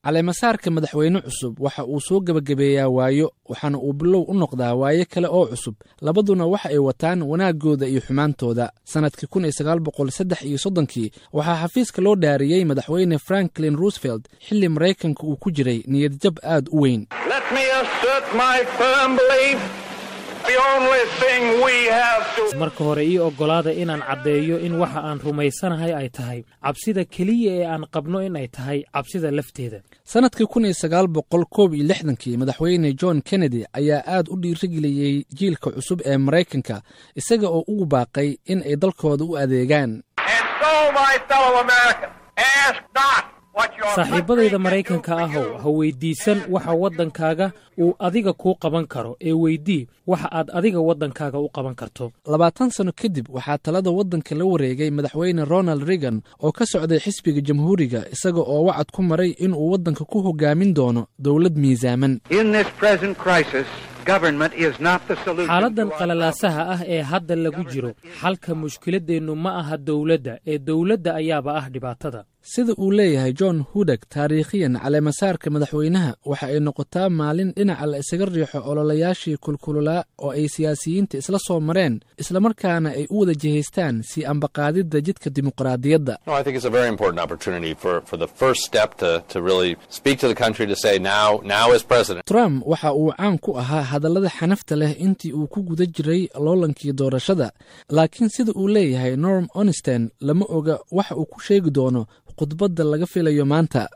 Caleemasaarka madaxweyne cusub waxa uu soo gebagabeeyaa waayo, waxaana uu bilow u noqdaa waayo kale oo cusub. Labaduna waxa ay wataan wanaaggooda iyo xumaantooda. Sannadkii 1933-kii waxaa xafiiska loo dhaariyey madaxweyne Franklin Roosevelt xilli Maraykanka uu ku jiray niyadjab aad u weyn. Marka hore ii oggolaada inaan caddeeyo in waxa aan rumaysanahay ay tahay cabsida keliya ee aan qabno in ay tahay cabsida lafteeda. Sannadkii 1961-kii madaxweyne John Kennedy ayaa aad u dhiirigeliyey jiilka cusub ee Maraykanka, isaga oo ugu baaqay in ay dalkooda u adeegaan. Saaxiibbadayda Maraykanka ahow, ha weyddiisan waxa waddankaaga uu adiga kuu qaban karo, ee weydii waxa aad adiga waddankaaga u qaban karto. 20 sano kadib waxaa talada waddanka la wareegay madaxweyne Ronald Reagan oo ka socday xisbiga Jamhuuriga, isaga oo wacad ku maray inuu waddanka ku hogaamin doono dowlad miisaaman. Xaaladdan qalalaasaha ah ee hadda lagu jiro, xalka mushkiladdeennu ma aha dowladda, ee dowladda ayaaba ah dhibaatada. Sida uu leeyahay John Hudak, taariikhiyan caleemasaarka madaxweynaha waxa ay noqotaa maalin dhinaca la isaga riixo ololayaashii kulkululaa oo ay siyaasiyiinta isla soo mareen, islamarkaana ay u wada jihaystaan sii ambaqaadidda jidka dimuqraadiyadda. Trump waxa uu caan ku ahaa hadallada xanafta leh intii uu ku guda jiray loolankii doorashada, laakiin sida uu leeyahay Norm Onsten, lama oga waxa uu ku sheegi doono khudbadda laga filayo maanta.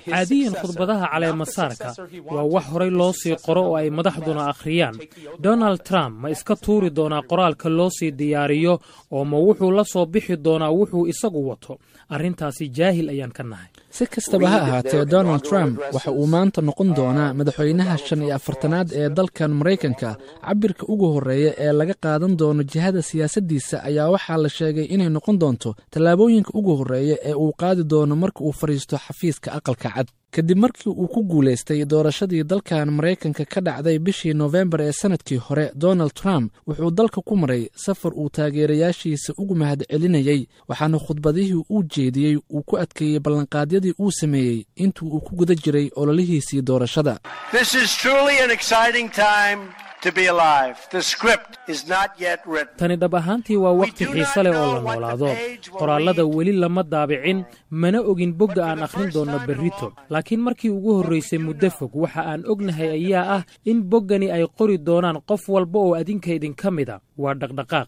Caadiyan khudbadaha caleemasaarka waa wax horay loo sii qoro oo ay madaxduna akhriyaan. Donald Trump ma iska tuuri doonaa qoraalka loo sii diyaariyo, oo ma wuxuu la soo bixi doonaa wuxuu isagu wato? Arrintaasi jaahil ayaan ka nahay. Si kastaba ha ahaatee, Donald Trump waxa uu maanta noqon doonaa madaxweynaha 45aad ee dalkan Maraykanka. Cabirka ugu horreeya ee laga qaadan doono jihada siyaasaddiisa ayaa waxaa la sheegay inay noqon doonto tallaabooyinka ugu horreeya ee uu qaadi doono marka uu fadhiisto xafiiska Aqalka Cad. Kadib markii uu ku guulaystay doorashadii dalkan Maraykanka ka dhacday bishii Noofembar ee sannadkii hore, Donald Trump wuxuu dalka ku maray safar uu taageerayaashiisa ugu mahadcelinayey, waxaana khudbadihii uu jeediyey uu ku adkeeyey ballanqaadyadii uu sameeyey intuu uu ku guda jiray ololihiisii doorashada. Tani dhab ahaantii waa wakhti xiise leh oo la noolaado. Qoraallada weli lama daabicin, mana ogin bogga aan akhrin doonno berrito, laakiin markii ugu horraysay muddo fog waxa aan ognahay ayaa ah in boggani ay qori doonaan qof walba oo adinka idinka mida. Waa dhaqdhaqaaq.